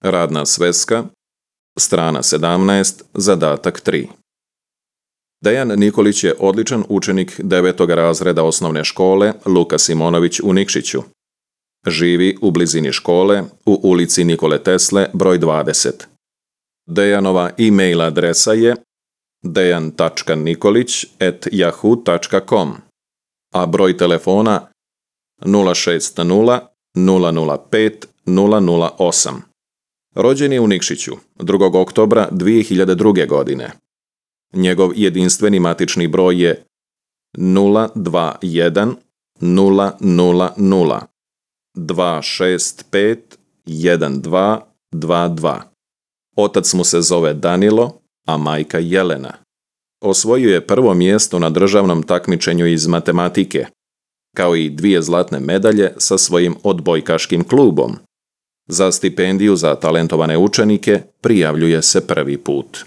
Radna sveska, strana 17, zadatak 3. Dejan Nikolić je odličan učenik 9. razreda osnovne škole Luka Simonović u Nikšiću. Živi u blizini škole u ulici Nikole Tesle broj 20. Dejanova e-mail adresa je dejan.nikolić@yahoo.com, a broj telefona 060 005 008. Rođen je u Nikšiću 2. oktobra 2002. godine. Njegov jedinstveni matični broj je 021 000 265 1222. Otac mu se zove Danilo, a majka Jelena. Osvojio je prvo mjesto na državnom takmičenju iz matematike, kao i 2 zlatne medalje sa svojim odbojkaškim klubom. Za stipendiju za talentovane učenike prijavljuje se prvi put.